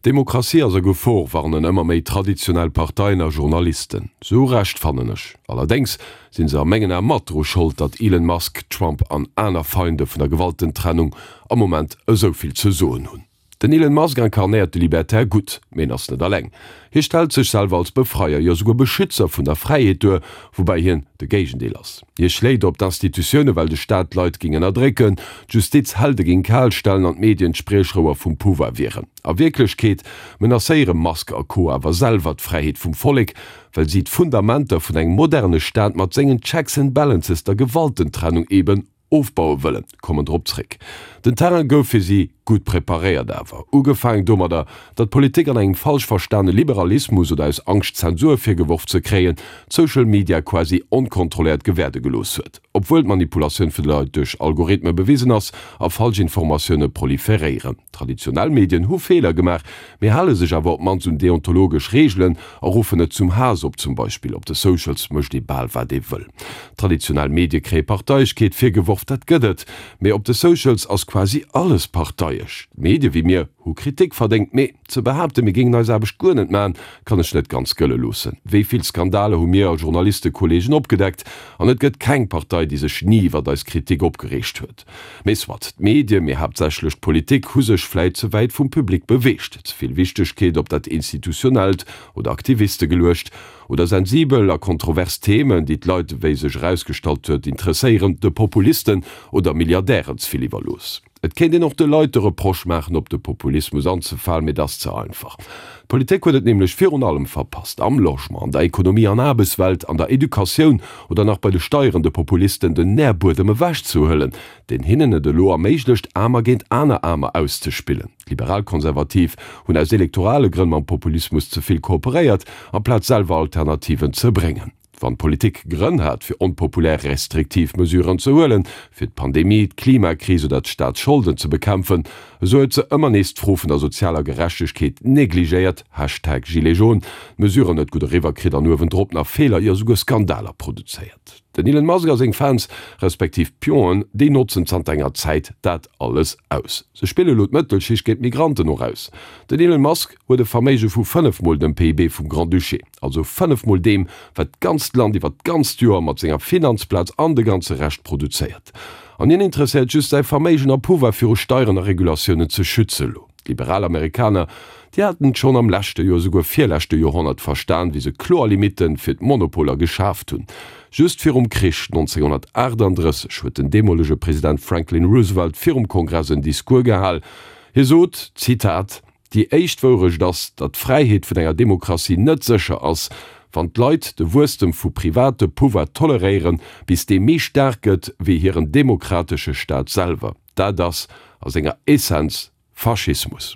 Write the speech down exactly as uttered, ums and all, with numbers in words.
D'Demokratie ass a Gefor, warnen ëmmer méi traditionell Parteien a Journalisten. Zu Recht, fannen ech. Allerdéngs sinn se a mengen Ae mat dru Schold, datt Elon Musk, Trump an aner Feinde vun der Gewaltentrennung am Moment esou vill ze soen hunn. Den Elon Musk inkarnéiert de Libertär gutt, mee en ass net alleng. Hie stellt sech selwer als Befreier, jo souguer Beschützer vun der Fräiheet duer, woubäi hien de Géigendeel ass. Hie schléit op d'Institutioune well de Staat d'Leit géing ënnerdrécken, d'Justiz Helde géing kal stellen an d'Medien d'Spriechrouer vum Pouvoir wieren. A Wierklechkeet menacéiere Musk a Co. Awer selwer d'Fräiheet vum Vollek, well si d'Fundamenter vun engem moderne Staat mat sengen Checks and Balances, der Gewaltentrennung eben, ofbaue wëllen. Kommen drop zréck. Den Terrain gouf fir si gutt preparéiert, awer ugefaangen domadder, datt d'Politik an engem falsch verstane Liberalismus oder aus Angscht Zensur virgeworf ze kréien, d'Social Media quasi onkontrolléiert gewäerde gelooss huet. Obwuel d'Manipulatioun vun de Leit duerch Algorithme bewisen ass a falsch Informatioune proliferéieren. Traditionell Medien hu Feeler gemaach, mee hale sech awer op d'mannst un deontologesch Reegelen a ruffen net zum Haass op, zum Beispill op de Socials mécht ee bal wat ee wëll. Traditionell Medie kréie Parteiegkeet virgeworf, dat gëtt et, mee op de Socials ass quasi alles parteiesch. Medie wéi mir hu Kritik verdéngt, mee ze behaapten, mir géingen eis Aarbecht guer net maachen, kann ech net ganz gëlle loossen. Wéi vill Skandale hu mir Journalistekolleegen opgedeckt an et gëtt keng Partei, déi sech ni iwwer eis Kritik opgereegt huet. Mee soit, d'Medie, mee haaptsächlech d'Politik, hu sech vläit ze wäit vum Public beweegt, ze vill Wichtegkeet op dat Institutionellt oder Aktiviste geluecht oder sensibel a kontrovers Themen, déi d'Leit, wéi sech erausgestallt huet, interesséieren, de Populisten oder Milliardären ze vill iwwerlooss. Et kéint een och de Leit de Reproche maachen, op de Populismus anzefalen, mee dat ass ze einfach. D'Politik huet et nämlech virun allem verpasst, am Logement, an der Ekonomie an Aarbechtswelt, an der Educatioun oder nach bei de Steieren de Populisten den Nährbuedem ewechzehuelen, deen hinnen et elo erméiglecht, Aarmer géint aner Aarmer auszespillen. D'Liberalkonservativ hunn aus elektorale Grënn mam Populismus ze vill kooperéiert, amplaz selwer Alternativen ze bréngen. Wann d'Politik Grënn hat, fir onpopulär restriktiv Mesuren ze huelen, fir d'Pandemie, d'Klimakris oder d'Staatsscholden ze bekämpfen, esou huet se ëmmer nees d'Fro vun der sozialer Gerechtegkeet negligéiert, Hashtag Gilets jaunes, d'Mesuren net gutt eriwwer kritt an uewendrop nach Feeler, jo souguer Skandaler produzéiert. Den Elon Musk a seng Fans, respektiv Pionen, déi notzen zanter enger Zäit dat alles aus. Se spille lo d'Mëttelschicht géint d'Migranten och aus. Den Elon Musk huet e Verméige vu fënnef mol dem P I B vum Grand-Duché, also fënnef mol deem, wat d'ganzt Land iwwer d'ganzt Joer mat senger Finanzplaz an de ganze Rescht produzéiert. An hien interesséiert just säi Verméigen a Pouvoir viru Steieren a Regulatiounen ze schützen. Lo d'liberal Amerikaner, déi haten et schonn am leschte, jo esouguer virleschte Joerhonnert verstan, wéi se kloer Limitten fir d'Monopoler geschaaft hunn. Just virum Krich nonzénghonnertaachtanddrësseg huet den deemolege President Franklin Roosevelt virum Kongress en Discours gehal. Hie sot, Zitat, Déi éischt Wourecht ass, datt d'Fräiheet vun enger Demokratie net sécher ass, wann d'Leit de Wuesstem vu private Pouvoir toleréieren, bis dee méi staark gëtt wéi hiren demokratesche Staat selwer. Dat ass a senger Essenz Faschismus.